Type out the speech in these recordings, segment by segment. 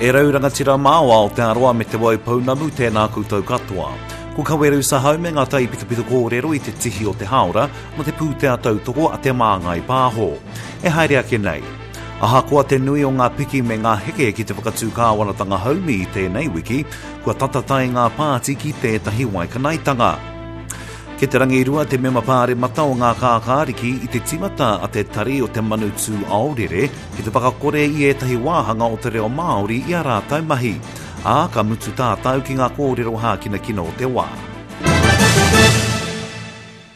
E rau rangatira mā o Aotearoa me Te Waipounamu, tēnā koutou katoa. Ko Kawerau Sahau me ngā taipitopito kōrero i te tihi o te hāora mō te pūtea tautoko a Te Māngai Pāho. E haere ake nei. Ahakoa te nui o ngā piki me ngā heke ki te whakatū kāwanatanga haumi i tēnei wiki, kua tata tae ngā pāti ki tētahi waikanaetanga. Kei te rangirua te mema pāremata o Ngā Kākāriki i te tīmata a te Tari o te Manu Tū Aorere ki te whakakore i ētahi wāhanga o te reo Māori i ā rātou mahi. Ā, ka mutu tātou ki ngā kōrero hākinakina o te wā.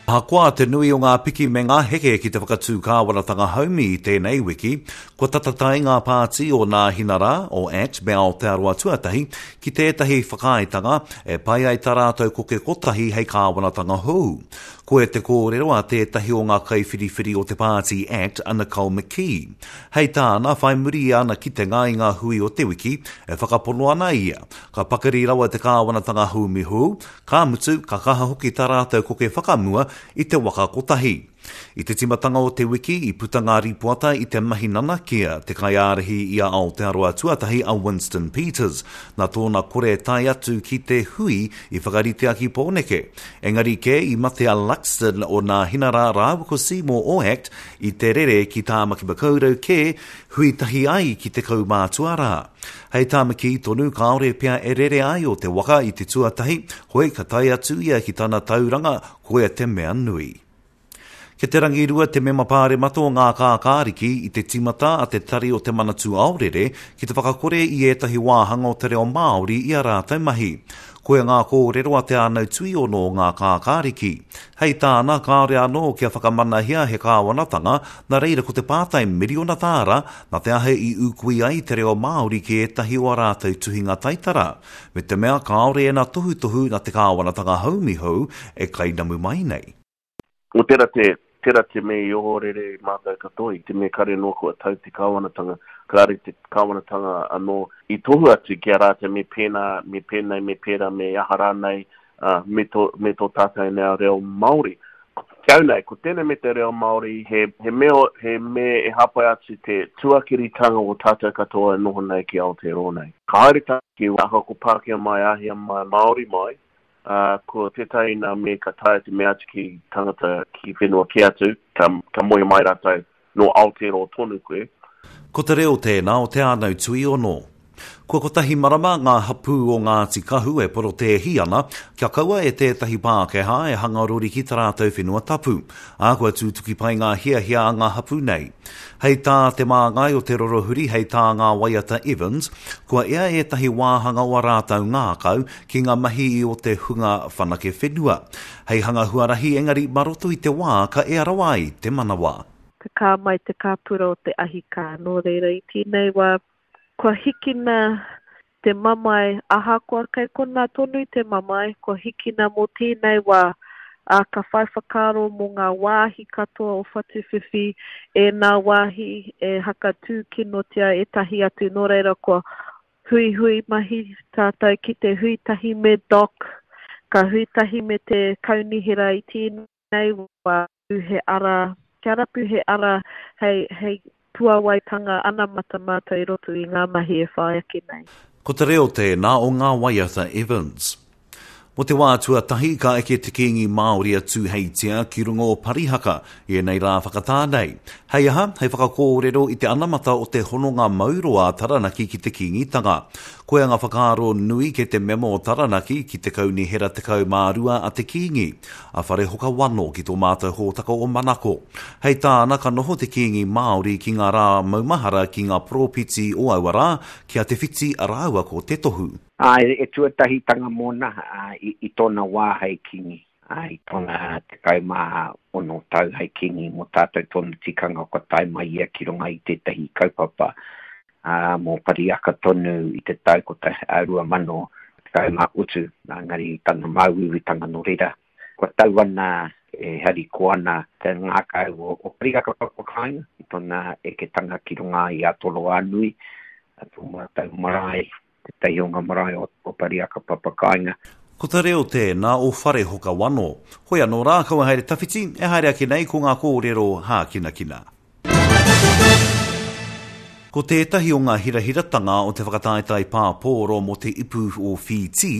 Ahakoa te nui o ngā piki me ngā heke ki te whakatū kāwanatanga haumi i tēnei wiki, kua tata tae ngā pāti o Nāhinara, o act me Aotearoa Tuatahi ki tētahi whakaaetanga e pai ai tā rātou koke kotahi hei kāwanatanga hou. Koia te kōrero a tētahi o ngā kaiwhiriwhiri o te pāti act a Nicole McKee. Hei tāna, whai muri i ana kitenga i ngā hui o te wiki, e whakapono ana ia, ka pakari rawa te kāwanatanga haumi hou, Ka mutu, ka kaha hoki tā rātou koke whakamua i te waka kotahi. I te tīmatanga o te wiki, i puta ngā rīpoata i te mahi nanakia, te kaiārahi i a Aotearoa Tuatahi a Winston Peters, nā tōna kore tae atu ki te hui i whakaritea ki Pōneke. Engari kē, i mate a Luxton o Nāhinara rāua ko Seymour o act i te rere ki Tāmaki Makaurau kē hui tahi ai ki te kaumātua rā. Hei tā McKee tonu, kāore pea e rere ai o te waka i te tuatahi, hoi ka tae atu ia ki tana tauranga, koia te mea nui. Kei te rangirua te mema pāremata o Ngā Kākāriki i te tīmata a te Tari o Te Manatū Aorere ki te whakakore i ētahi wāhanga o te reo Māori i ā rātou mahi. Koia ngā kōrero a Te Ānau Tuiono o Ngā Kākāriki. Hei tāna, kāore anō kia whakamanahia he kāwanatanga, nā reira ko te pātai miriona tāra, nā te aha i ūkui ai te reo Māori ki ētahi o ā rātou tuhinga taitara, me te mea kāore ēnā tohutohu nā te kāwanatanga haumi hou e kainamu mai nei. Ko tera te, tera te me i ohorere mātou katoa i te me kare noa kua tau te kāwanatanga, kāre te kāwanatanga anō i tohu atu ki a rātou me pēnā, me pēnei, me pērā, me aha rānei, ā, me tō, me tō tātou nā reo Māori. Ki au nei, ko tēnei me te reo Māori, he, he mea, he me e hāpai atu te tuakiritanga o tātou katoa e noho nei ki Aotearoa nei. Ka haere tātou ki ahakoa Pākehā mai, Āhia mai, Māori mai, Ā, ko tētahi nā me ka taea te mea atu ki tangata ki whenua kē atu, ka, ka moe mai rātou, nō Aotearoa tonu koe. Ko te reo tēnā o Te Ānau Tuiono. Kua kotahi marama ngā hapū o Ngāti Kahu e porotēhi ana kia kaua e tētahi Pākehā e hanga rori ki tā rātou whenua tapu, ā, kua tūtuki pai ngā hiahia a ngā hapū nei. Hei tā te māngai o Te Rorohuri, hei tā Ngā Waiata Evans, kua ea ētahi wāhanga o a rātou ngākau ki ngā mahi i o te hunga whanake whenua. Hei hanga huarahi engari mā roto i te wā ka ea rawa ai te manawa. Te kā mai te kāpura o te ahi kā. Nō reira i tēnei wā kua hikina te mamae ahakoa kei konā tonu te mamae, kua hikina mō tēnei wā, ā, ka whai whakaaro mō ngā wāhi katoa o Whatuwhiwhi, ēnā wāhi e haka tūkinotia ētahi atu, nō reira kua huihui mahi tātou ki te hui tahi me Doc, ka hui tahi me te kaunihera i tēnei wā. He ara, kia rapu he ara hei, hei puawaitanga anamata mātou i roto i ngā mahi e whai ake nei. Ko te reo tēnā o ngā waiata Evans. Mō te wā tuatahi ka eke te Kīngi Māori a Tūheitia ki runga o Parihaka i ēnei rā whakatā nei. Hei aha? Hei whakakōrero i te anamata o te hononga mauroa a Taranaki ki te Kīngitanga. Koia ngā whakaaro nui kei te mema o Taranaki ki te Kaunihera 12 a te Kīngi. a Wharehoka Wano ki tō mātou hōtaka o Manako. Hei tāna, ka noho te Kīngi Māori ki ngā rā maumahara ki ngā poropiti o aua rā, ki a Te Whiti rāua ko Te Tohu. Āe, e tuatahitanga mōna i tōna wā hei kīngi, i tōna 16 tau hei kīngi mō tātou tōna tikanga kua tae mai ia ki runga i tētahi kaupapa ā, mō Pariaka tonu i te tau 2017, engari i tana māuiuitanga nō reira, kua tau ana e harikoa ana te ngākau o Pariaka Papakāinga i tōna eketanga ki runga i a Toroānui, tō mātou marae, tētahi o ngā marae o Pariaka Papakāinga. Ko te reo tēnā o Wharehoka Wano. Hoi anō rā, kaua haere tawhiti, e haere ake nei ko ngā kōrero hākinakina. Ko tētahi o ngā hirahiratanga o te whakataetae pāpōro mō te Ipu o Whītī,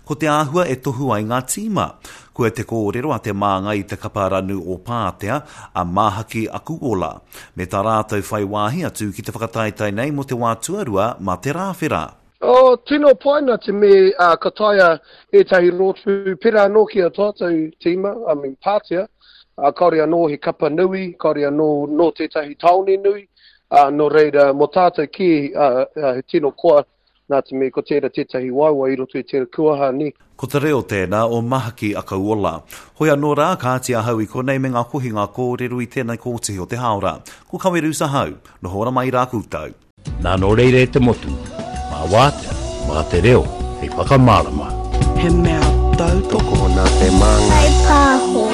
ko te āhua e tohu ai ngā tīma. Kua te kōrero a te māngai i te kapa ranu o Pātea, a Māhaki Akuola, me tā rātou whai wāhi atu ki te whakataetae nei mō te wā tuarua mā te Rāwhera. Oh, tino pai nā te me uh, ka taea ētahi rōpū pērā anō ki a tātou tīma, I mean, Pātea, uh, kāore anō he kapa nui, kāore anō nō tētahi tāone nui, uh, nō reira, mō tātou kē, uh, uh, he tino koa nā te mea ko tērā tētahi waewae i roto i tērā kuaha, nē. Ko te reo tēnā o Mahaki Akauola. Hoi anō rā, kāti ahau i konei me ngā kohinga kōrero i tēnei kōtihi o te hāora. Ko Kawerus ahau. Noho ora mai rā koutou. Nā nō reira e te motu, mā wātea, mā te reo hei whakamārama. He mea tautoko. Tokona te māngai. Whai pāho.